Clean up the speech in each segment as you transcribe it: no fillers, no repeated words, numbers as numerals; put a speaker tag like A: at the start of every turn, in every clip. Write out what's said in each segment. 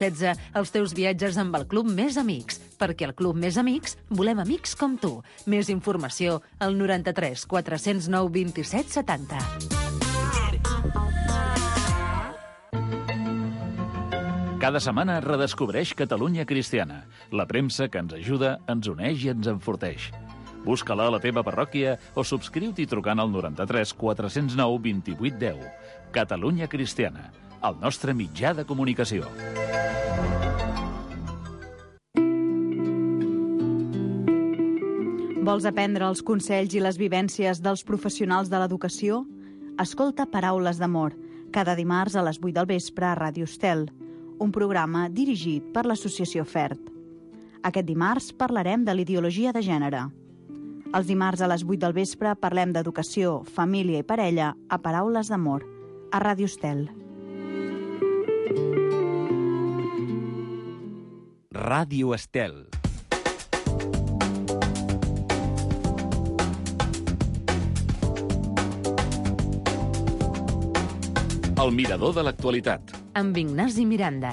A: 16 els teus viatges amb el Club Més Amics, perquè al Club Més Amics volem amics com tu. Més informació al 93 409 27 70.
B: Cada setmana redescobreix Catalunya Cristiana, la premsa que ens ajuda, ens uneix i ens enforteix. Busca-la a la teva parròquia o subscriu-t'hi trucant al 93 409 28 10. Catalunya Cristiana, el nostre mitjà de comunicació.
C: Vols aprendre els consells i les vivències dels professionals de l'educació? Escolta Paraules d'Amor, cada dimarts a les 8 del vespre a Ràdio Estel, un programa dirigit per l'Associació FERT. Aquest dimarts parlarem de l'ideologia de gènere. Els dimarts a les 8 del vespre parlem d'educació, família i parella a Paraules d'Amor, a Ràdio Estel.
D: Ràdio Estel.
B: El mirador de l'actualitat.
A: Amb Ignasi Miranda.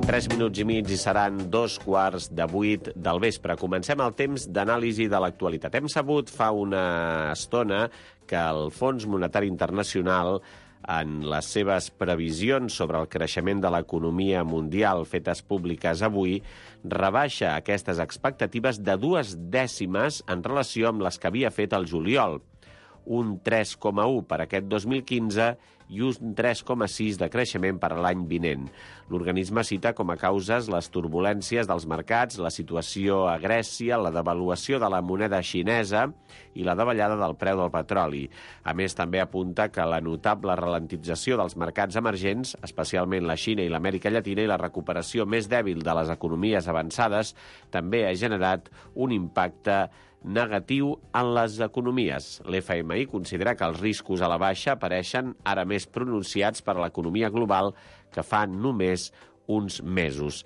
E: Tres minuts i mig i seran 7:15 del vespre. Comencem el temps d'anàlisi de l'actualitat. Hem sabut fa una estona que el Fons Monetari Internacional, en les seves previsions sobre el creixement de l'economia mundial fetes públiques avui, rebaixa aquestes expectatives de 2 dècimes en relació amb les que havia fet el juliol. Un 3,1 per aquest 2015 i un 3,6 de creixement per a l'any vinent. L'organisme cita com a causes les turbulències dels mercats, la situació a Grècia, la devaluació de la moneda xinesa i la davallada del preu del petroli. A més, també apunta que la notable ralentització dels mercats emergents, especialment la Xina i l'Amèrica Llatina, i la recuperació més dèbil de les economies avançades, també ha generat un impacte negatiu en les economies. L'FMI considera que els riscos a la baixa apareixen ara més pronunciats per a l'economia global que fa només uns mesos.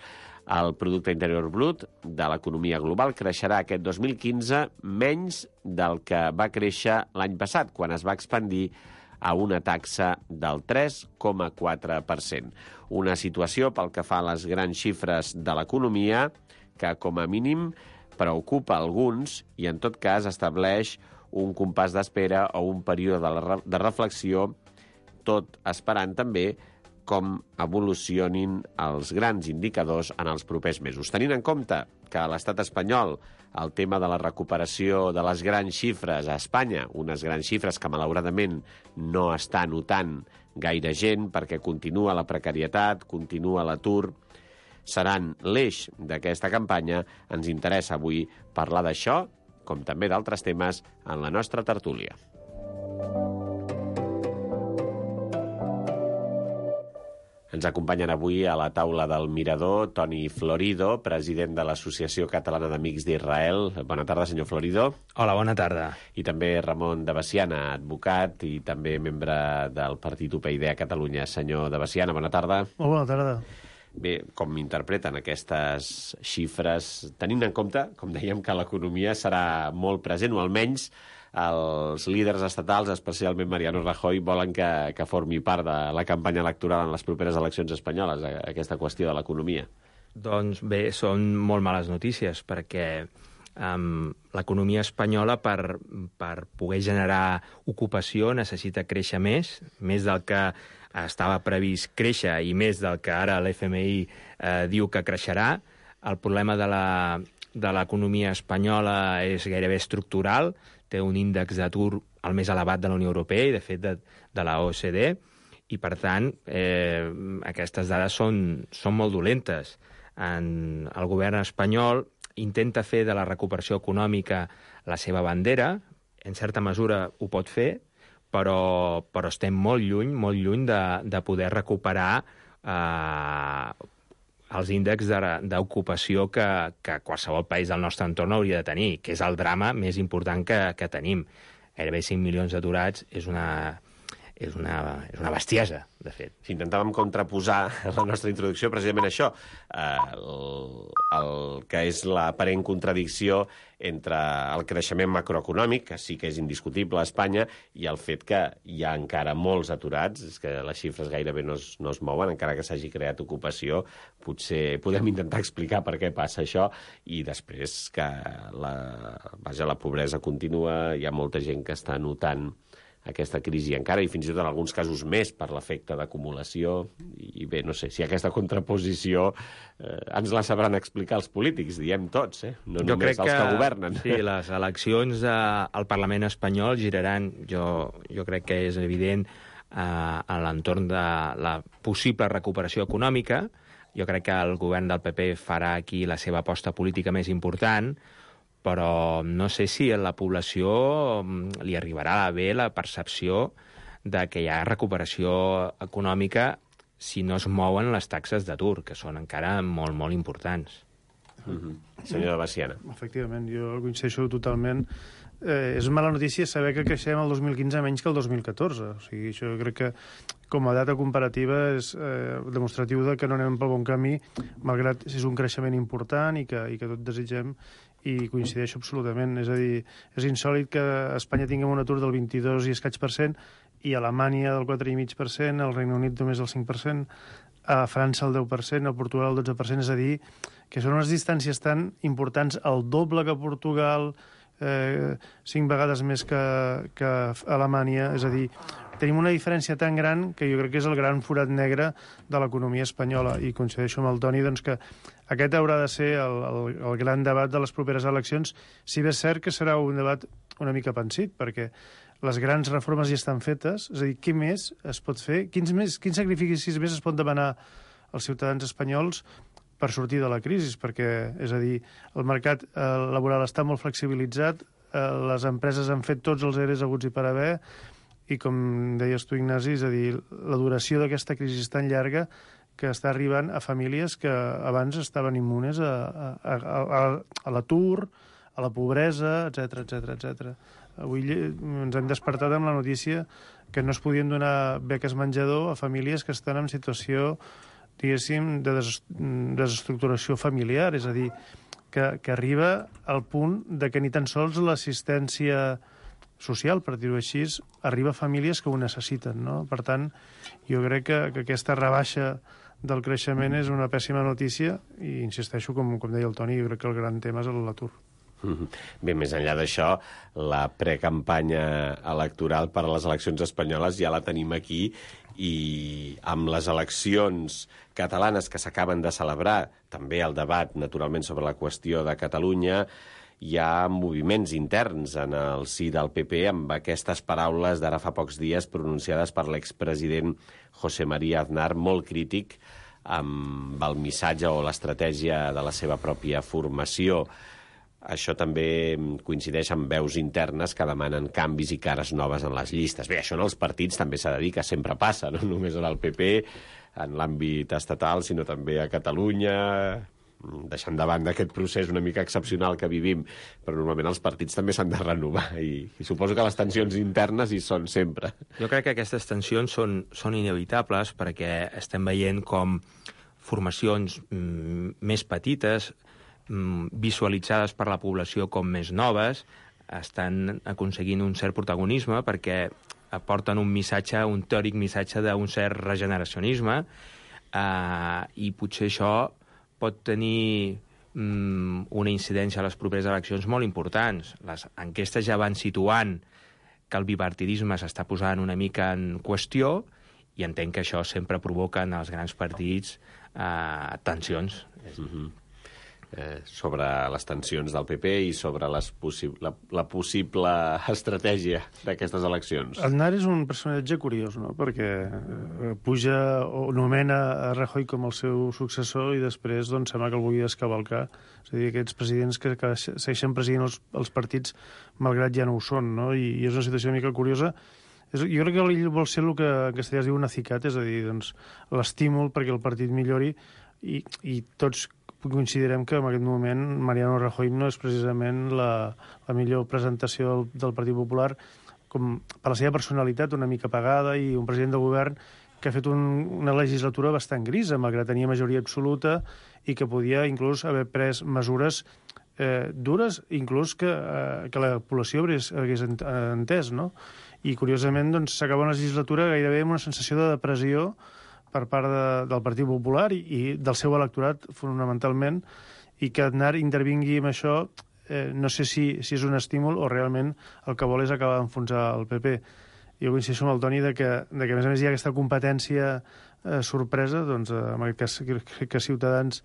E: El producte interior brut de l'economia global creixerà aquest 2015 menys del que va créixer l'any passat, quan es va expandir a una taxa del 3,4%. Una situació pel que fa a les grans xifres de l'economia que, com a mínim, preocupa alguns i, en tot cas, estableix un compàs d'espera o un període de reflexió, tot esperant també com evolucionin els grans indicadors en els propers mesos. Tenint en compte que a l'estat espanyol el tema de la recuperació de les grans xifres a Espanya, unes grans xifres que malauradament no està notant gaire gent perquè continua la precarietat, continua l'atur, seran l'eix d'aquesta campanya, ens interessa avui parlar d'això, com també d'altres temes, en la nostra tertúlia. Ens acompanyen avui a la taula del Mirador Toni Florido, president de l'Associació Catalana d'Amics d'Israel. Bona tarda, senyor Florido.
F: Hola, bona tarda.
E: I també Ramon de Bessiana, advocat i també membre del Partit UPyD a Catalunya. Senyor de Bessiana, bona tarda.
G: Molt bona tarda.
E: Bé, com interpreten aquestes xifres, tenint en compte, com dèiem, que l'economia serà molt present, o almenys els líders estatals, especialment Mariano Rajoy, volen que formi part de la campanya electoral en les properes eleccions espanyoles, aquesta qüestió de l'economia?
F: Doncs bé, són molt males notícies, perquè l'economia espanyola, per poder generar ocupació, necessita créixer més del que estava previst créixer i més del que ara l'FMI diu que creixerà. El problema de l'economia espanyola és gairebé estructural, té un índex d'atur el més elevat de la Unió Europea i, de fet, de la OCDE, i, per tant, aquestes dades són molt dolentes. El govern espanyol intenta fer de la recuperació econòmica la seva bandera, en certa mesura ho pot fer, però estem molt lluny de poder recuperar els índexs d'ocupació que qualsevol país del nostre entorn hauria de tenir, que és el drama més important que tenim. Gairebé 5 milions d'aturats és una bestiesa, de fet.
E: Si intentàvem contraposar en la nostra introducció precisament això, el que és l'aparent contradicció entre el creixement macroeconòmic, que sí que és indiscutible a Espanya, i el fet que hi ha encara molts aturats, és que les xifres gairebé no es mouen, encara que s'hagi creat ocupació. Potser podem intentar explicar per què passa això, i després que la pobresa continua, hi ha molta gent que està notant aquesta crisi encara, i fins i tot en alguns casos més per l'efecte d'acumulació. I bé, no sé, si aquesta contraposició ens la sabran explicar els polítics, diem tots, no només els que governen.
F: Sí, les eleccions al Parlament espanyol giraran, jo crec que és evident, a l'entorn de la possible recuperació econòmica. Jo crec que el govern del PP farà aquí la seva aposta política més important, però no sé si a la població li arribarà bé la percepció de que hi ha recuperació econòmica si no es mouen les taxes d'atur, que són encara molt, molt importants.
E: Senyora Veciana.
G: Efectivament, jo coincideixo totalment. És mala notícia saber que creixem el 2015 menys que el 2014. O sigui, això crec que com a data comparativa és demostratiu de que no anem pel bon camí, malgrat si és un creixement important i que tot desitgem, i coincideixo absolutament. És a dir, és insòlit que a Espanya tinguem un atur del 22 i escaig %, i a Alemanya del 4,5%, al Regne Unit només el 5%, a França el 10%, a Portugal el 12%, és a dir, que són unes distàncies tan importants, el doble que Portugal, 5 vegades més que Alemanya, és a dir, tenim una diferència tan gran que jo crec que és el gran forat negre de l'economia espanyola, i coincideixo amb el Toni doncs, que aquest haurà de ser el gran debat de les properes eleccions, si bé és cert que serà un debat una mica pensit, perquè les grans reformes ja estan fetes, és a dir, què més es pot fer? Quins sacrificis més es pot demanar als ciutadans espanyols per sortir de la crisi? Perquè, és a dir, el mercat laboral està molt flexibilitzat, les empreses han fet tots els EREs haguts i per haver, i com deies tu, Ignasi, és a dir, la duració d'aquesta crisi és tan llarga que està arribant a famílies que abans estaven immunes a l'atur, a la pobresa, etc. Avui ens hem despertat amb la notícia que no es podien donar beques menjador a famílies que estan en situació, diguéssim, de desestructuració familiar, és a dir, que arriba al punt de que ni tan sols l'assistència social, per dir-ho així, arriba a famílies que ho necessiten, no? Per tant, jo crec que aquesta rebaixa del creixement és una pèssima notícia, i insisteixo, com deia el Toni, jo crec que el gran tema és l'atur.
E: Bé, més enllà d'això, la precampanya electoral per a les eleccions espanyoles ja la tenim aquí, i amb les eleccions catalanes que s'acaben de celebrar, també el debat, naturalment, sobre la qüestió de Catalunya, hi ha moviments interns en el si del PP amb aquestes paraules d'ara fa pocs dies pronunciades per l'expresident José María Aznar, molt crític amb el missatge o l'estratègia de la seva pròpia formació. Això també coincideix amb veus internes que demanen canvis i cares noves en les llistes. Bé, això en els partits també s'ha de dir que sempre passa, no només en el PP, en l'àmbit estatal, sinó també a Catalunya, deixant de banda aquest procés una mica excepcional que vivim, però normalment els partits també s'han de renovar, i suposo que les tensions internes hi són sempre.
F: Jo crec que aquestes tensions són inevitables, perquè estem veient com formacions més petites, visualitzades per la població com més noves, estan aconseguint un cert protagonisme perquè aporten un teòric missatge d'un cert regeneracionisme, i potser això pot tenir una incidència a les properes eleccions molt importants. Les enquestes ja van situant que el bipartidisme s'està posant una mica en qüestió, i entenc que això sempre provoca en els grans partits tensions.
E: Sobre les tensions del PP i sobre la possible estratègia d'aquestes eleccions.
G: Aznar és un personatge curiós, no? Perquè puja o nomena a Rajoy com el seu successor, i després doncs, sembla que el vulgui descavalcar. És a dir, aquests presidents que segueixen presidint els partits malgrat ja no ho són, no? I és una situació una mica curiosa. Jo crec que ell vol ser el que en castellà es diu un acicate, és a dir, doncs, l'estímul perquè el partit millori, i tots considerem que en aquest moment Mariano Rajoy no és precisament la millor presentació del Partit Popular com per la seva personalitat una mica apagada, i un president del govern que ha fet una legislatura bastant grisa, malgrat tenir majoria absoluta, i que podia inclús haver pres mesures dures, inclús que la població hagués entès, no? I, curiosament, doncs, s'acaba una legislatura gairebé amb una sensació de depressió per part del Partit Popular i del seu electorat, fonamentalment, i que Aznar intervingui amb això, no sé si és un estímul o realment el que vol és acabar d'enfonsar el PP. Jo coincideixo amb el Toni que a més a més hi ha aquesta competència sorpresa, doncs en aquest cas crec que Ciutadans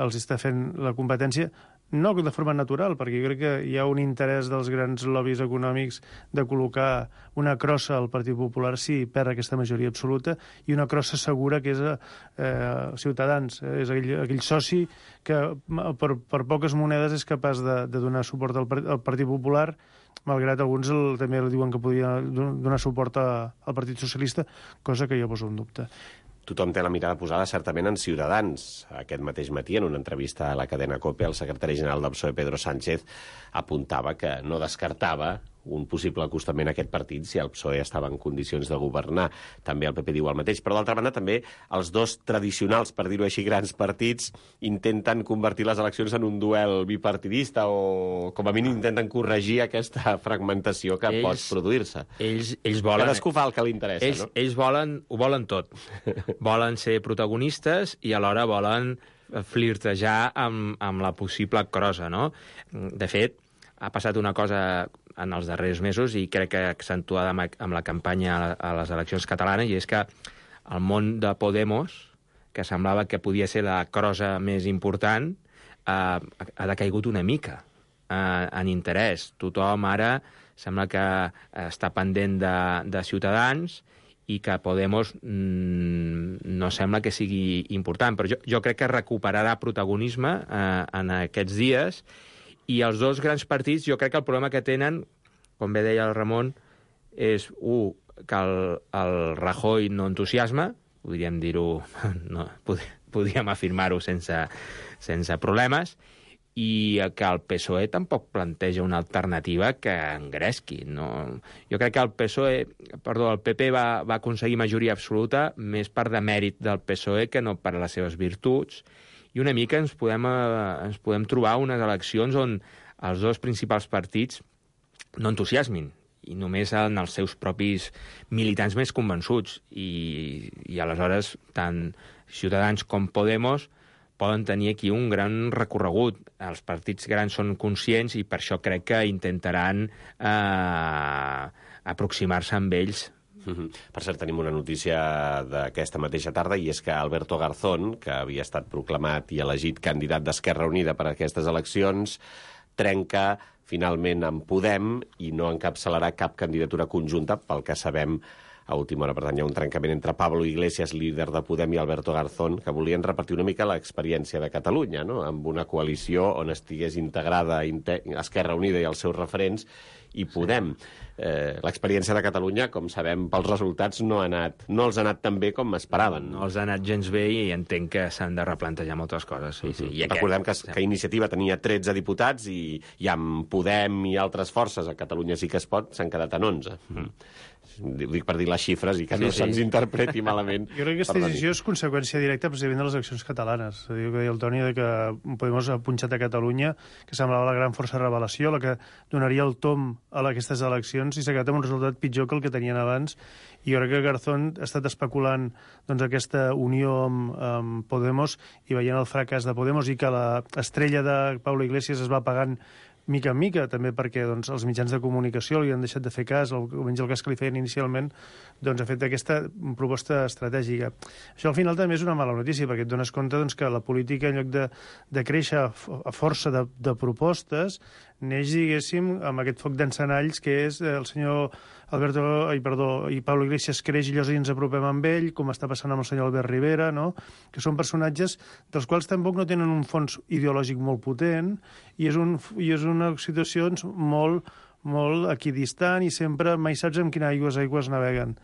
G: els està fent la competència, no de forma natural, perquè jo crec que hi ha un interès dels grans lobbies econòmics de col·locar una crossa al Partit Popular si perd aquesta majoria absoluta, i una crossa segura que és Ciutadans. És aquell soci que per poques monedes és capaç de donar suport al Partit Popular, malgrat alguns també diuen que podria donar suport al Partit Socialista, cosa que jo poso en dubte.
E: Tothom té la mirada posada certament en Ciutadans. Aquest mateix matí, en una entrevista a la cadena COPE, el secretari general del PSOE, Pedro Sánchez, apuntava que no descartava un possible acostament a aquest partit si el PSOE estava en condicions de governar. També el PP diu el mateix. Però, d'altra banda, també els dos tradicionals, per dir-ho així, grans partits intenten convertir les eleccions en un duel bipartidista o, com a mínim, intenten corregir aquesta fragmentació que pot produir-se.
F: Ells volen...
E: Cadascú fa el que li interessa, no?
F: Ells ho volen tot. Volen ser protagonistes i alhora volen flirtejar amb la possible crossa, no? De fet, ha passat una cosa en els darrers mesos i crec que accentuada amb la campanya a les eleccions catalanes, i és que el món de Podemos, que semblava que podia ser la crossa més important, ha decaigut una mica en interès. Tothom ara sembla que està pendent de Ciutadans i que Podemos no sembla que sigui important. Però jo crec que recuperarà protagonisme en aquests dies. I els dos grans partits, jo crec que el problema que tenen, com bé deia el Ramon, és, que el Rajoy no entusiasma, podríem dir-ho, no, podríem afirmar-ho sense problemes, i que el PSOE tampoc planteja una alternativa que engresqui. No? Jo crec que el PP va aconseguir majoria absoluta més per demèrit del PSOE que no per les seves virtuts, i una mica ens podem trobar unes eleccions on els dos principals partits no entusiasmin, i només en els seus propis militants més convençuts. I aleshores tant Ciutadans com Podemos poden tenir aquí un gran recorregut. Els partits grans són conscients i per això crec que intentaran aproximar-se amb ells.
E: Per cert, tenim una notícia d'aquesta mateixa tarda, i és que Alberto Garzón, que havia estat proclamat i elegit candidat d'Esquerra Unida per a aquestes eleccions, trenca finalment amb Podem i no encapçalarà cap candidatura conjunta, pel que sabem a última hora. Per tant, hi ha un trencament entre Pablo Iglesias, líder de Podem, i Alberto Garzón, que volien repartir una mica l'experiència de Catalunya, no? Amb una coalició on estigués integrada Esquerra Unida i els seus referents i Podem. L'experiència de Catalunya, com sabem pels resultats, no els ha anat tan bé com esperaven.
F: No els ha anat gens bé i entenc que s'han de replantejar moltes coses. Sí.
E: Recordem que Iniciativa tenia 13 diputats i amb Podem i altres forces a Catalunya Sí que es pot s'han quedat en 11. Ho dic per dir les xifres i que no se'ns interpreti malament.
G: Jo crec que aquesta decisió és conseqüència directa precisament de les eleccions catalanes. Que deia el Toni que Podemos ha punxat a Catalunya, que semblava la gran força de revelació, la que donaria el tom a aquestes eleccions, i s'ha quedat amb un resultat pitjor que el que tenien abans. I jo crec que Garzón ha estat especulant aquesta unió amb Podemos i veient el fracàs de Podemos i que l'estrella de Pablo Iglesias es va apagant mica en mica, també perquè els mitjans de comunicació li han deixat de fer cas, almenys el cas que li feien inicialment, ha fet aquesta proposta estratègica. Això al final també és una mala notícia, perquè et dones compte que la política, en lloc de créixer a força de propostes, neix, diguéssim, amb aquest foc d'encenalls que és el senyor i Pablo Iglesias creix i llavors ens apropem amb ell, com està passant amb el senyor Albert Rivera, no? Que són personatges dels quals tampoc no tenen un fons ideològic molt potent i és una situació molt equidistant i sempre mai saps amb quina aigües naveguen.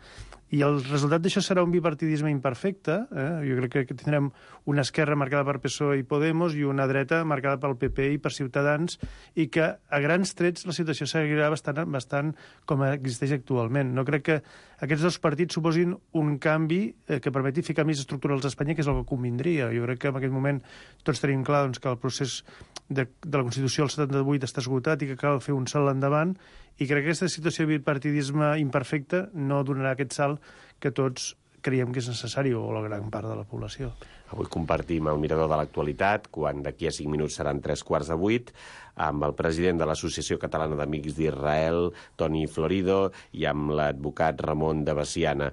G: I el resultat d'això serà un bipartidisme imperfecte. Jo crec que tindrem una esquerra marcada per PSOE i Podemos i una dreta marcada pel PP i per Ciutadans, i que a grans trets la situació seguirà bastant com existeix actualment. No crec que aquests dos partits suposin un canvi que permeti fer canvis estructurals a Espanya, que és el que convindria. Jo crec que en aquest moment tots tenim clar que el procés de la Constitució del 78 està esgotat i que cal fer un salt endavant, i crec que aquesta situació de bipartidisme imperfecte no donarà aquest salt que tots creiem que és necessari, o la gran part de la població.
E: Avui compartim el mirador de l'actualitat, quan d'aquí a 5 minuts seran 3:15, amb el president de l'Associació Catalana d'Amics d'Israel, Toni Florido, i amb l'advocat Ramon de Veciana.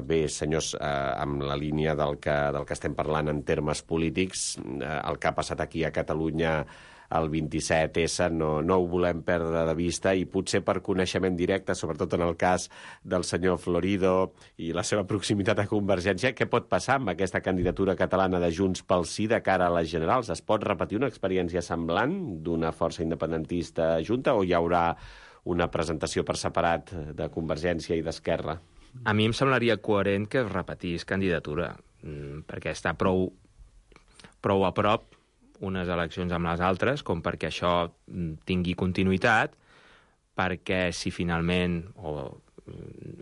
E: Bé, senyors, amb la línia del que estem parlant en termes polítics, el que ha passat aquí a Catalunya el 27S no ho volem perdre de vista, i potser per coneixement directe, sobretot en el cas del senyor Florido i la seva proximitat a Convergència, què pot passar amb aquesta candidatura catalana de Junts pel Sí de cara a les generals? Es pot repetir una experiència semblant d'una força independentista junta, o hi haurà una presentació per separat de Convergència i d'Esquerra?
F: A mi em semblaria coherent que es repetís candidatura, perquè està prou a prop unes eleccions amb les altres, com perquè això tingui continuïtat, perquè si finalment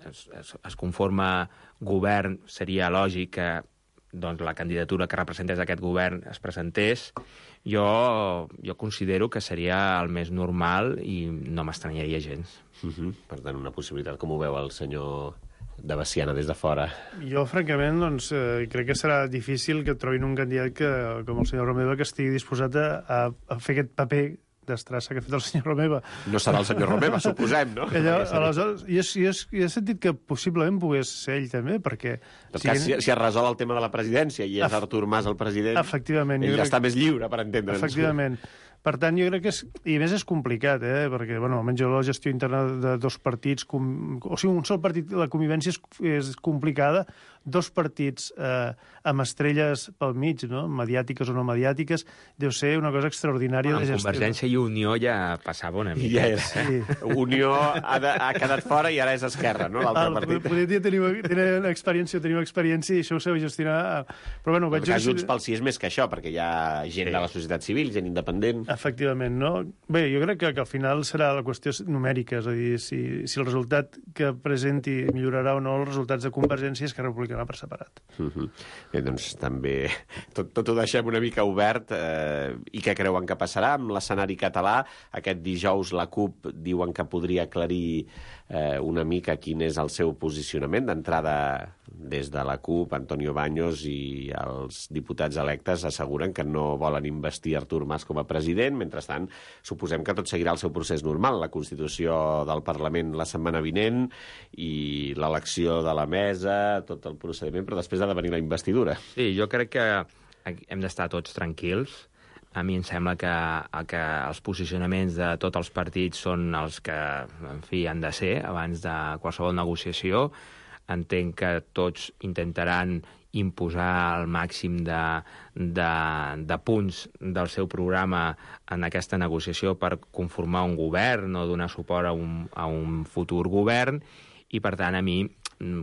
F: es conforma govern, seria lògic que doncs, la candidatura que representés aquest govern es presentés. Jo considero que seria el més normal i no m'estranyaria gens.
E: Per tant, una possibilitat. Com ho veu el senyor de Veciana des de fora?
G: Jo, francament, crec que serà difícil que trobin un candidat com el senyor Romeva, que estigui disposat a fer aquest paper d'estrassa que ha fet el senyor Romeva.
E: No serà el senyor Romeva, suposem, no?
G: Aleshores, jo he sentit que possiblement pogués ser ell també, perquè...
E: En tot cas, si es resol el tema de la presidència i és Artur Mas el president,
G: efectivament,
E: ell ja està més lliure, per entendre'ns.
G: Efectivament. Per tant, jo crec que i a més és complicat, perquè, almenys la gestió interna de dos partits, o sigui, un sol partit, la convivència és complicada, dos partits amb estrelles pel mig, no? Mediàtiques o no mediàtiques, deu ser una cosa extraordinària de gestió.
F: Convergència i Unió ja passava una mica.
E: Sí. Unió ha quedat fora i ara és Esquerra, no? L'altre partit.
G: Poder dir tenim experiència i això ho sabeu gestionar. Però, bueno,
E: veig... Junts pel Sí és més que això, perquè hi ha gent de la societat civil, gent independent.
G: Efectivament, no? Bé, jo crec que al final serà la qüestió numèrica, és a dir, si el resultat que presenti millorarà o no els resultats de Convergència i Esquerra Republicana per separat.
E: Bé, doncs també tot ho deixem una mica obert. I què creuen que passarà amb l'escenari català? Aquest dijous la CUP diuen que podria aclarir una mica quin és el seu posicionament. D'entrada, des de la CUP, Antonio Baños i els diputats electes asseguren que no volen investir Artur Mas com a president. Mentrestant, suposem que tot seguirà el seu procés normal, la constitució del Parlament la setmana vinent i l'elecció de la mesa, tot el procediment, però després ha de venir la investidura.
F: Sí, jo crec que hem d'estar tots tranquils. A mi em sembla que els posicionaments de tots els partits són els que, en fi, han de ser abans de qualsevol negociació. Entenc que tots intentaran imposar el màxim de punts del seu programa en aquesta negociació per conformar un govern o donar suport a un futur govern, i per tant a mi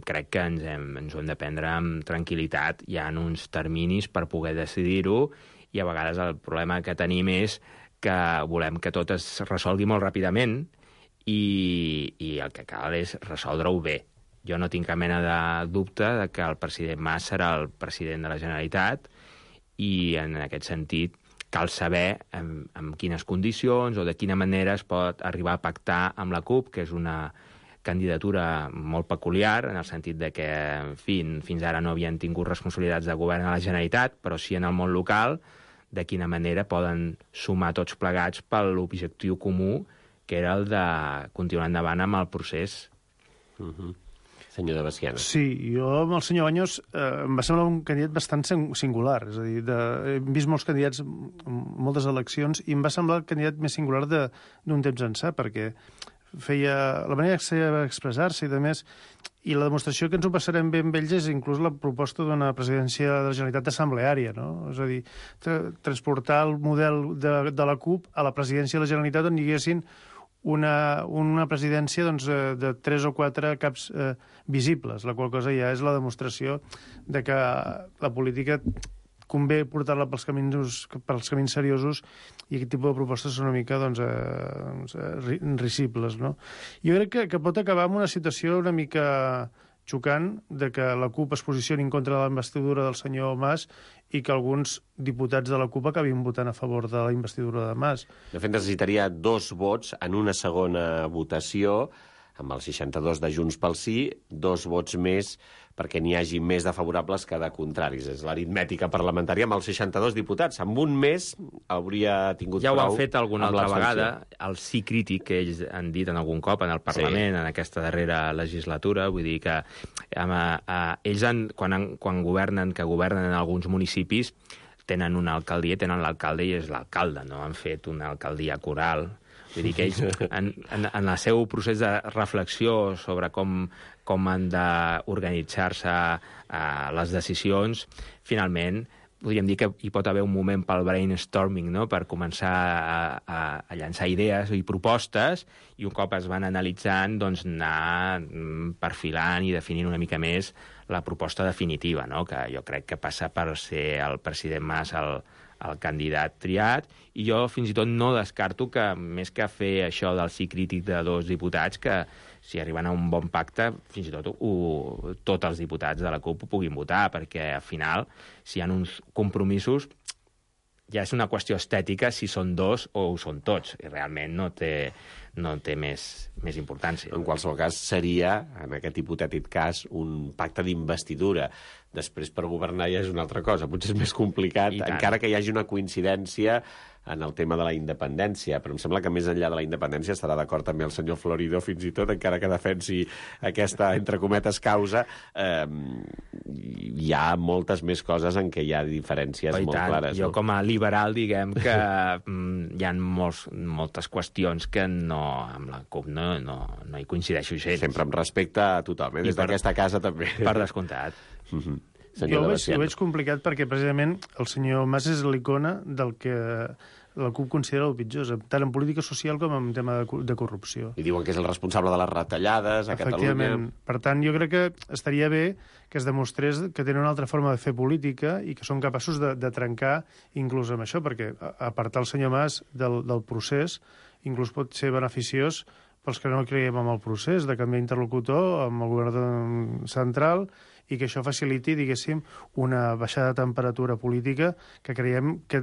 F: crec que ens ho hem de prendre amb tranquil·litat. Hi ha uns terminis per poder decidir-ho, i a vegades el problema que tenim és que volem que tot es resolgui molt ràpidament i el que cal és resoldre-ho bé. Jo no tinc cap mena de dubte de que el president Mas serà el president de la Generalitat, i en aquest sentit cal saber en quines condicions o de quina manera es pot arribar a pactar amb la CUP, que és una candidatura molt peculiar, en el sentit de que, en fi, fins ara no havien tingut responsabilitats de govern a la Generalitat, però sí en el món local, de quina manera poden sumar tots plegats per l'objectiu comú, que era el de continuar endavant amb el procés.
E: Senyor de Veciana.
G: Sí, jo amb el senyor Baños em va semblar un candidat bastant singular. És a dir, he vist molts candidats en moltes eleccions i em va semblar el candidat més singular d'un temps ençà, perquè feia la manera que va expressar-se i, a més, i la demostració que ens ho passarem bé amb ells és inclús la proposta d'una presidència de la Generalitat assembleària, no? És a dir, transportar el model de la CUP a la presidència de la Generalitat, on hi haguessin una presidència doncs, de 3 o 4 caps visibles, la qual cosa ja és la demostració de que la política convé portar-la pels camins seriosos i aquest tipus de propostes són una mica risibles, no? Jo crec que pot acabar amb una situació una mica xocant de que la CUP es posicioni en contra de la investidura del senyor Mas i que alguns diputats de la CUP acabin votant a favor de la investidura de Mas.
E: De fet, necessitaria 2 vots en una segona votació, amb els 62 de Junts pel Sí, 2 vots més perquè n'hi hagi més de favorables que de contraris. És l'aritmètica parlamentària amb els 62 diputats. Amb un més hauria tingut
F: ja
E: prou.
F: Ja ho han fet alguna altra vegada, el sí crític que ells han dit en algun cop en el Parlament, en aquesta darrera legislatura. Vull dir que ells, quan governen, que governen en alguns municipis, tenen una alcaldia, tenen l'alcalde i és l'alcalde, no? Han fet una alcaldia coral. Vull dir que ells, en el seu procés de reflexió sobre com han d'organitzar-se les decisions, finalment, podríem dir que hi pot haver un moment pel brainstorming, no?, per començar a llançar idees i propostes, i un cop es van analitzant, doncs anar perfilant i definint una mica més la proposta definitiva, no?, que jo crec que passa per ser el president Mas el candidat triat, i jo fins i tot no descarto que, més que fer això del sí crític de 2 diputats, que si arriben a un bon pacte, fins i tot tots els diputats de la CUP ho puguin votar, perquè al final, si hi ha uns compromisos, ja és una qüestió estètica si són 2 o ho són tots, i realment no té més importància.
E: En qualsevol cas, seria, en aquest hipotètic cas, un pacte d'investidura. Després, per governar ja és una altra cosa. Potser és més complicat, encara que hi hagi una coincidència en el tema de la independència, però em sembla que més enllà de la independència estarà d'acord també el senyor Florido, fins i tot, encara que defensi aquesta, entre cometes, causa. Hi ha moltes més coses en què hi ha diferències molt clares.
F: Jo, com a liberal, diguem que hi ha moltes qüestions que amb la CUP no hi coincideixo gens.
E: Sempre amb respecte a tothom, des d'aquesta casa també.
F: Per descomptat.
G: Jo ho veig complicat perquè precisament el senyor Mas és l'icona del que la CUP considera el pitjor, tant en política social com en tema de corrupció.
E: I diuen que és el responsable de les retallades a Catalunya.
G: Efectivament. Per tant, jo crec que estaria bé que es demostrés que tenen una altra forma de fer política i que són capaços de trencar inclús amb això, perquè apartar el senyor Mas del procés inclús pot ser beneficiós pels que no creiem en el procés, de canviar interlocutor amb el govern central i que això faciliti, diguéssim, una baixada de temperatura política que creiem que,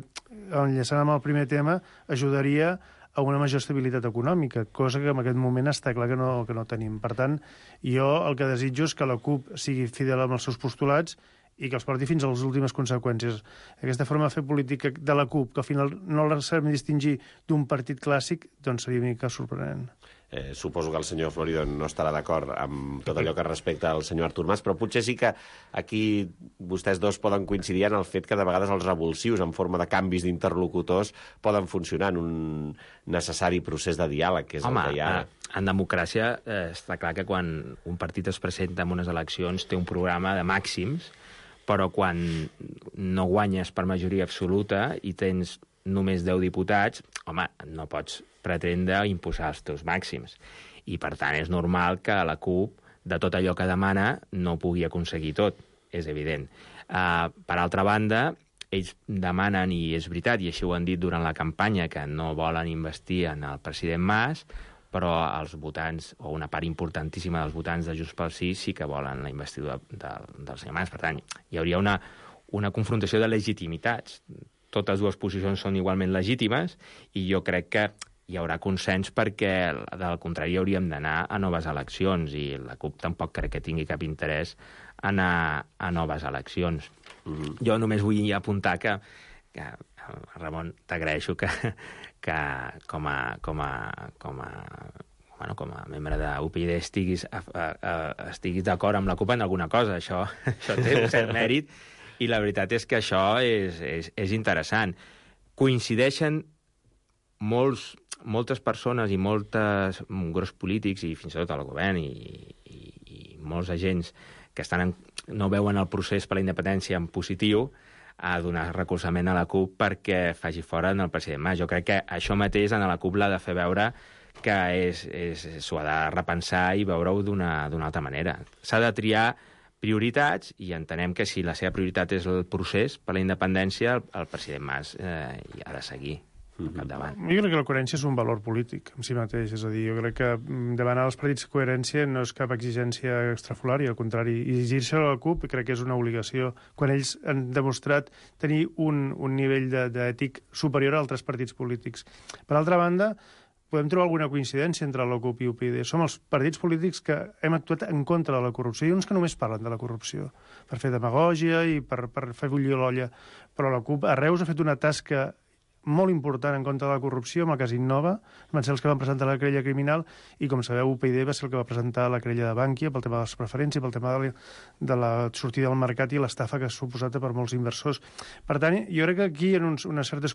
G: enllaçant amb el primer tema, ajudaria a una major estabilitat econòmica, cosa que en aquest moment està clar que no tenim. Per tant, jo el que desitjo és que la CUP sigui fidel amb els seus postulats i que els porti fins a les últimes conseqüències. Aquesta forma de fer política de la CUP, que al final no la sabem distingir d'un partit clàssic, doncs seria una mica sorprenent.
E: Suposo que el senyor Florido no estarà d'acord amb tot allò que respecta al senyor Artur Mas, però potser sí que aquí vostès dos poden coincidir en el fet que de vegades els revulsius en forma de canvis d'interlocutors poden funcionar en un necessari procés de diàleg, que és el que hi ha ara.
F: En democràcia està clar que quan un partit es presenta en unes eleccions té un programa de màxims, però quan no guanyes per majoria absoluta i tens només 10 diputats, home, no pots pretendre imposar els teus màxims. I, per tant, és normal que la CUP, de tot allò que demana, no pugui aconseguir tot, és evident. Per altra banda, ells demanen, i és veritat, i així ho han dit durant la campanya, que no volen investir en el president Mas, però els votants, o una part importantíssima dels votants de Junts pel Sí, sí que volen la investidura del senyor Mas. Per tant, hi hauria una confrontació de legitimitats. Totes dues posicions són igualment legítimes i jo crec que hi haurà consens perquè, del contrari, hauríem d'anar a noves eleccions i la CUP tampoc crec que tingui cap interès a anar a noves eleccions. Jo només vull apuntar que Ramon, t'agraeixo que com a membre d'UPyD estiguis d'acord amb la CUP en alguna cosa. Això té un cert mèrit i la veritat és que això és interessant. Coincideixen moltes persones i grups polítics i fins i tot el govern i molts agents que no veuen el procés per la independència en positiu a donar recolzament a la CUP perquè faci fora el president Mas. Jo crec que això mateix en la CUP l'ha de fer veure que s'ho ha de repensar i veure-ho d'una altra manera. S'ha de triar prioritats i entenem que si la seva prioritat és el procés per la independència, el president Mas hi ha de seguir al capdavant.
G: Jo crec que la coherència és un valor polític en si mateix, és a dir, jo crec que demanar als partits coherència no és cap exigència extrafolària, al contrari, i exigir-se a la CUP crec que és una obligació, quan ells han demostrat tenir un nivell d'ètic superior a altres partits polítics. Per altra banda, podem trobar alguna coincidència entre la CUP i UPyD. Som els partits polítics que hem actuat en contra de la corrupció. Hi ha uns que només parlen de la corrupció per fer demagògia i per fer bullir l'olla, però la CUP a Reus ha fet una tasca molt important en contra de la corrupció, amb el cas Innova, van ser els que van presentar la querella criminal, i com sabeu, UPyD va ser el que va presentar la querella de Bankia pel tema de les preferències, pel tema de la sortida del mercat i l'estafa que ha suposat per molts inversors. Per tant, jo crec que aquí hi ha una certa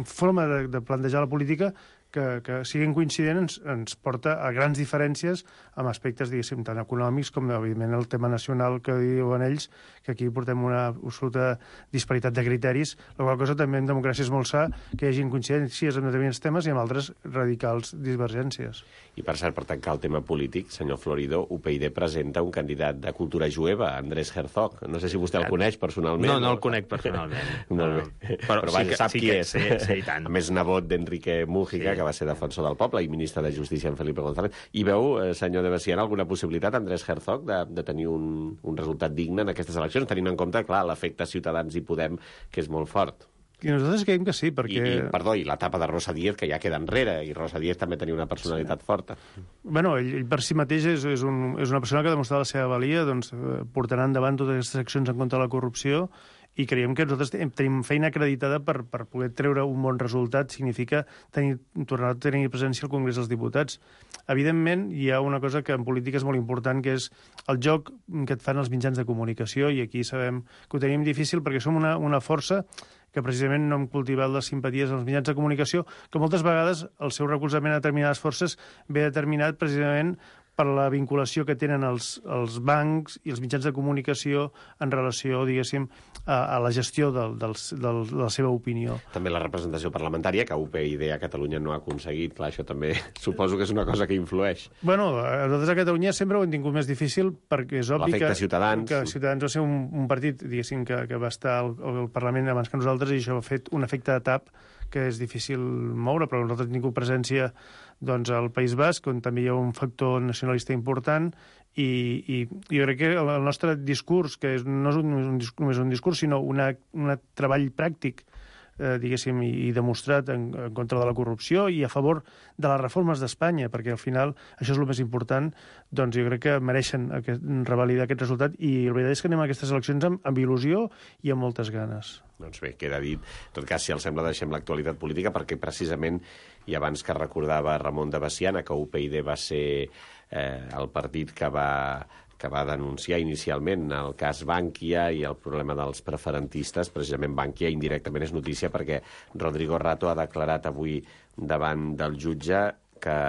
G: forma de plantejar la política que siguin coincidents ens porta a grans diferències amb aspectes, diguéssim, tant econòmics com, evidentment, el tema nacional que diuen ells, que aquí portem una absoluta disparitat de criteris, la qual cosa també en democràcia és molt sa que hi hagi coincidències en determinats temes i en altres radicals divergències.
E: I per cert, per tancar el tema polític, senyor Florido, UPyD presenta un candidat de cultura jueva, Andrés Herzog. No sé si vostè el coneix personalment.
F: No el conec personalment.
E: Molt bé. Però vaja, sap qui és.
F: Sí, i tant.
E: A més, nebot d'Enrique Mújica, que va ser defensor del poble i ministre de Justícia en Felipe González. I veu, senyor de Bessiana, alguna possibilitat, Andrés Herzog, de tenir un resultat digne en aquestes eleccions, tenint en compte, clar, l'efecte Ciutadans i Podem, que és molt fort?
G: I nosaltres creiem que sí, perquè...
E: I l'etapa de Rosa Díez, que ja queda enrere, i Rosa Díez també tenia una personalitat forta.
G: Bueno, ell per si mateix és una persona que ha demostrat la seva valia, doncs portarà endavant totes aquestes accions en contra de la corrupció, i creiem que nosaltres tenim feina acreditada per poder treure un bon resultat. Significa tornar a tenir presència al Congrés dels Diputats. Evidentment, hi ha una cosa que en política és molt important, que és el joc que et fan els mitjans de comunicació, i aquí sabem que ho tenim difícil perquè som una força que precisament no hem cultivat les simpaties als mitjans de comunicació, que moltes vegades el seu recolzament a determinades forces ve determinat precisament per la vinculació que tenen els bancs i els mitjans de comunicació en relació, diguéssim, a la gestió de la seva opinió.
E: També la representació parlamentària, que UPyD a Catalunya no ha aconseguit. Clar, això també suposo que és una cosa que influeix.
G: Bueno, nosaltres a Catalunya sempre ho hem tingut més difícil perquè és obvi que Ciutadans va ser un partit, diguéssim, que va estar al Parlament abans que nosaltres, i això ha fet un efecte de tap que és difícil moure, però nosaltres hem tingut presència doncs, al País Basc, on també hi ha un factor nacionalista important, i jo crec que el nostre discurs, que no és només un discurs, sinó un treball pràctic, diguéssim, i demostrat en contra de la corrupció i a favor de les reformes d'Espanya, perquè al final això és el més important, doncs jo crec que mereixen revalidar aquest resultat, i la veritat és que anem a aquestes eleccions amb il·lusió i amb moltes ganes.
E: Doncs bé, queda dit. En tot cas, si els sembla, deixem l'actualitat política, perquè precisament, i abans que recordava Ramon de Bessiana, que UPyD va ser el partit que va denunciar inicialment el cas Bankia i el problema dels preferentistes, precisament Bankia indirectament és notícia perquè Rodrigo Rato ha declarat avui davant del jutge que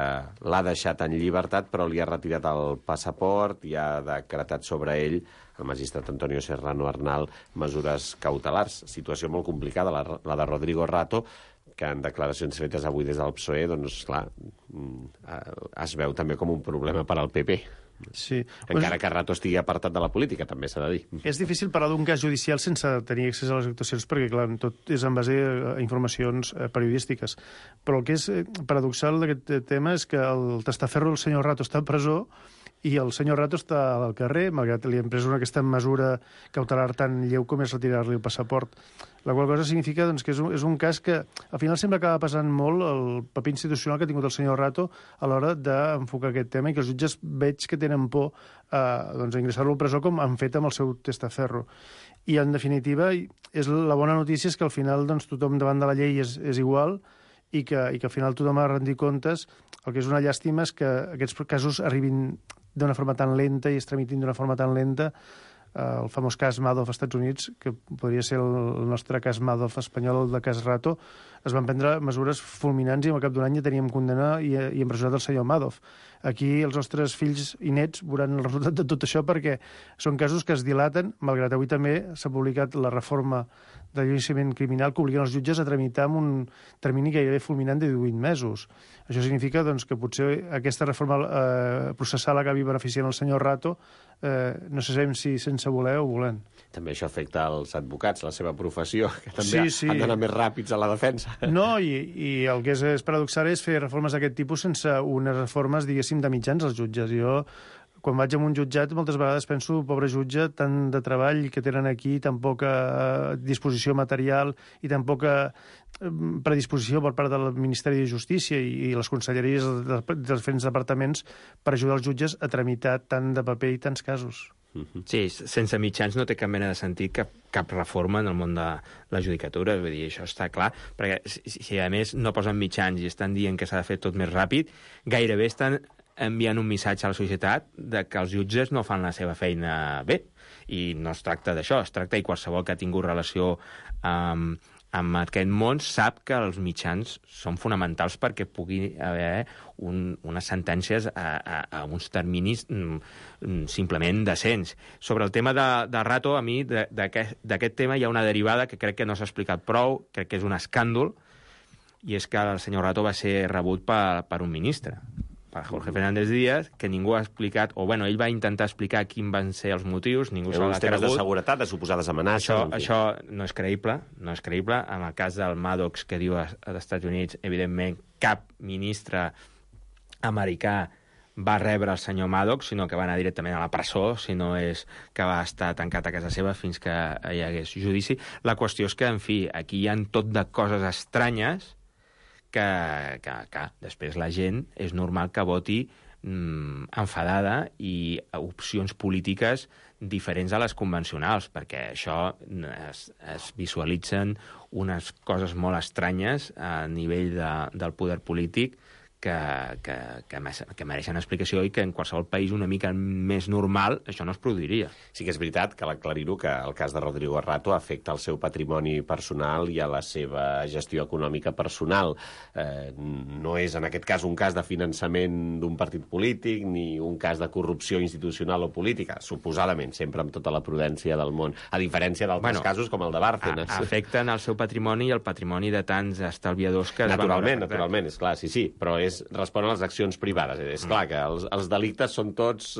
E: l'ha deixat en llibertat, però li ha retirat el passaport i ha decretat sobre ell, el magistrat Antonio Serrano Arnal, mesures cautelars. Situació molt complicada, la de Rodrigo Rato, que en declaracions fetes avui des del PSOE, doncs, clar, es veu també com un problema per al PP.
G: Sí.
E: Encara que Rato estigui apartat de la política, també s'ha de dir.
G: És difícil parlar d'un cas judicial sense tenir accés a les actuacions, perquè, clar, tot és en base a informacions periodístiques. Però el que és paradoxal d'aquest tema és que el testaferro, el senyor Rato, està a presó i el senyor Rato està al carrer, malgrat li han pres aquesta mesura cautelar tan lleu com és retirar-li el passaport. La qual cosa significa doncs, que és un cas que al final sempre acaba passant molt el paper institucional que ha tingut el senyor Rato a l'hora d'enfocar aquest tema, i que els jutges veig que tenen por a ingressar-lo a presó, com han fet amb el seu testaferro. I, en definitiva, la bona notícia és que al final doncs, tothom davant de la llei és igual, i que al final tothom ha de rendir comptes. El que és una llàstima és que aquests casos arribin d'una forma tan lenta i es tramitin d'una forma tan lenta, el famós cas Madoff als Estats Units, que podria ser el nostre cas Madoff espanyol, el de cas Rato, es van prendre mesures fulminants i al cap d'un any ja teníem condemnat i empresonat el senyor Madoff. Aquí els nostres fills i nets veuran el resultat de tot això perquè són casos que es dilaten, malgrat avui també s'ha publicat la reforma de l'enjudiciament criminal que obliguen els jutges a tramitar amb un termini gairebé fulminant de 18 mesos. Això significa doncs, que potser aquesta reforma processal acabi beneficiant el senyor Rato, no sabem si sense voler o volent.
E: També això afecta els advocats, la seva professió, que també han d'anar més ràpids a la defensa.
G: No, i el que és paradoxal és fer reformes d'aquest tipus sense unes reformes, diguéssim, de mitjans als jutges. Jo, quan vaig a un jutjat, moltes vegades penso, pobre jutge, tant de treball que tenen aquí, tan poca disposició material i tan poca predisposició per part del Ministeri de Justícia i les conselleries dels diferents departaments per ajudar els jutges a tramitar tant de paper i tants casos.
F: Sí, sense mitjans no té cap mena de sentit cap reforma en el món de la judicatura, vull dir, això està clar, perquè si a més no posen mitjans i estan dient que s'ha de fer tot més ràpid, gairebé estan enviant un missatge a la societat de que els jutges no fan la seva feina bé. I no es tracta d'això, es tracta, i qualsevol que ha tingut relació amb aquest món sap que els mitjans són fonamentals perquè pugui haver unes sentències a uns terminis simplement decents. Sobre el tema de Rato, a mi d'aquest tema hi ha una derivada que crec que no s'ha explicat prou, crec que és un escàndol, i és que el senyor Rato va ser rebut per un ministre, per Jorge Fernández Díaz, que ningú ha explicat, o bueno, ell va intentar explicar quins van ser els motius, ningú se l'ha cregut.
E: Temes de seguretat, de suposades amenaces...
F: Això no és creïble, no és creïble. En el cas del Maddox, que diu als Estats Units, evidentment, cap ministre americà va rebre el senyor Maddox, sinó que va anar directament a la presó, si no és que va estar tancat a casa seva fins que hi hagués judici. La qüestió és que, en fi, aquí hi ha tot de coses estranyes que després la gent és normal que voti enfadada i opcions polítiques diferents a les convencionals, perquè això es visualitzen unes coses molt estranyes a nivell del poder polític que mereixen explicació i que en qualsevol país una mica més normal això no es produiria.
E: Sí que és veritat, cal aclarir-ho, que el cas de Rodrigo Rato afecta el seu patrimoni personal i a la seva gestió econòmica personal. No és, en aquest cas, un cas de finançament d'un partit polític ni un cas de corrupció institucional o política, suposadament, sempre amb tota la prudència del món, a diferència d'altres casos com el de Bárcenas.
F: Afecten el seu patrimoni i el patrimoni de tants estalviadors que...
E: Naturalment, és clar, sí, però respon a les accions privades. És clar que els delictes són tots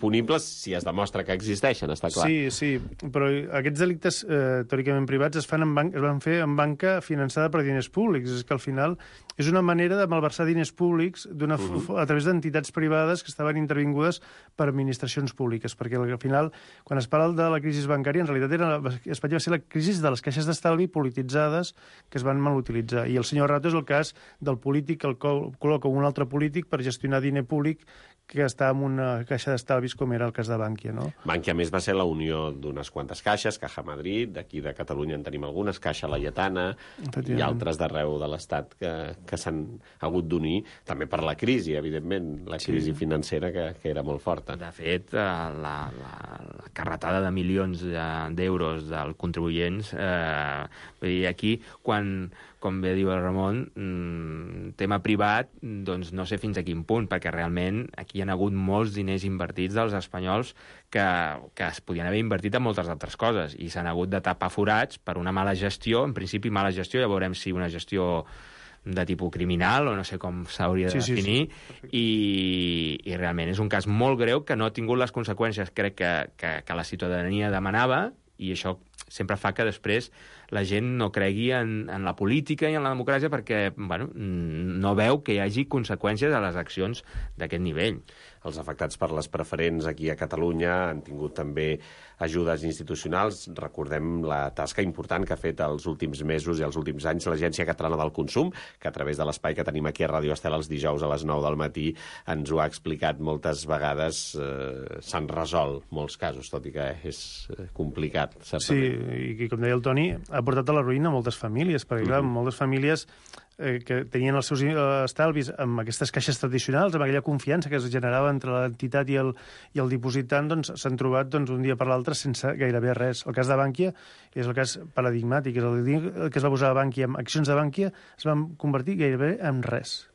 E: punibles si es demostra que existeixen, està clar.
G: Sí, però aquests delictes teòricament privats es van fer en banca finançada per diners públics. És que al final és una manera de malversar diners públics a través d'entitats privades que estaven intervingudes per administracions públiques, perquè al final, quan es parla de la crisi bancària, en realitat Espanya va ser la crisi de les caixes d'estalvi polititzades que es van mal utilitzar. I el senyor Rato és el cas del polític que el col·loca un altre polític per gestionar diner públic que està en una caixa d'estalvis, com era el cas de Bànquia, no?
E: Bànquia, a més, va ser la unió d'unes quantes caixes, Caja Madrid, d'aquí de Catalunya en tenim algunes, Caixa Laietana i altres d'arreu de l'Estat que s'han hagut d'unir, també per la crisi, evidentment, la crisi financera que era molt forta.
F: De fet, la carretada de milions d'euros dels contribuents, vull dir, aquí, quan, com bé diu el Ramon, tema privat, doncs no sé fins a quin punt, perquè realment aquí hi ha hagut molts diners invertits dels espanyols que es podien haver invertit en moltes altres coses i s'han hagut de tapar forats per una mala gestió, en principi mala gestió, ja veurem si una gestió de tipus criminal o no sé com s'hauria de definir, i realment és un cas molt greu que no ha tingut les conseqüències, crec que la ciutadania demanava, i això sempre fa que després la gent no cregui en la política i en la democràcia perquè no veu que hi hagi conseqüències a les accions d'aquest nivell.
E: Els afectats per les preferents aquí a Catalunya han tingut també ajudes institucionals. Recordem la tasca important que ha fet els últims mesos i els últims anys l'Agència Catalana del Consum, que a través de l'espai que tenim aquí a Ràdio Estel els dijous a les 9 del matí ens ho ha explicat moltes vegades. S'han resolt molts casos, tot i que és complicat, certament.
G: Sí, i com deia el Toni, ha portat a la ruïna moltes famílies, perquè clar, moltes famílies que tenien els seus estalvis amb aquestes caixes tradicionals, amb aquella confiança que es generava entre l'entitat i el dipositant, doncs s'han trobat un dia per l'altre sense gairebé res. El cas de Bànquia és el cas paradigmàtic, és el dia que es va posar a Bànquia amb accions de Bànquia es van convertir gairebé en res.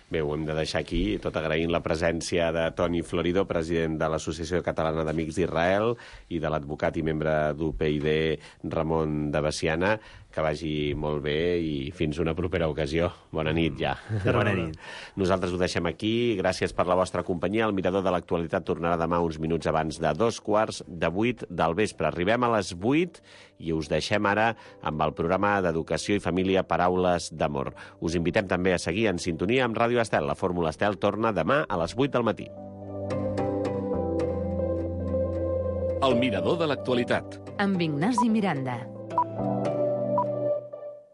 E: Bé, ho hem de deixar aquí, tot agraint la presència de Toni Floridó, president de l'Associació Catalana d'Amics d'Israel, i de l'advocat i membre d'UPyD, Ramon de Veciana. Que vagi molt bé i fins una propera ocasió. Bona nit, ja.
F: Bona nit.
E: Nosaltres ho deixem aquí. Gràcies per la vostra companyia. El Mirador de l'Actualitat tornarà demà uns minuts abans de 7:15 del vespre. Arribem a les 8 i us deixem ara amb el programa d'Educació i Família Paraules d'Amor. Us invitem també a seguir en sintonia amb Ràdio Estel. La Fórmula Estel torna demà a les 8 del matí.
B: El Mirador de l'Actualitat.
A: Amb Ignasi Miranda.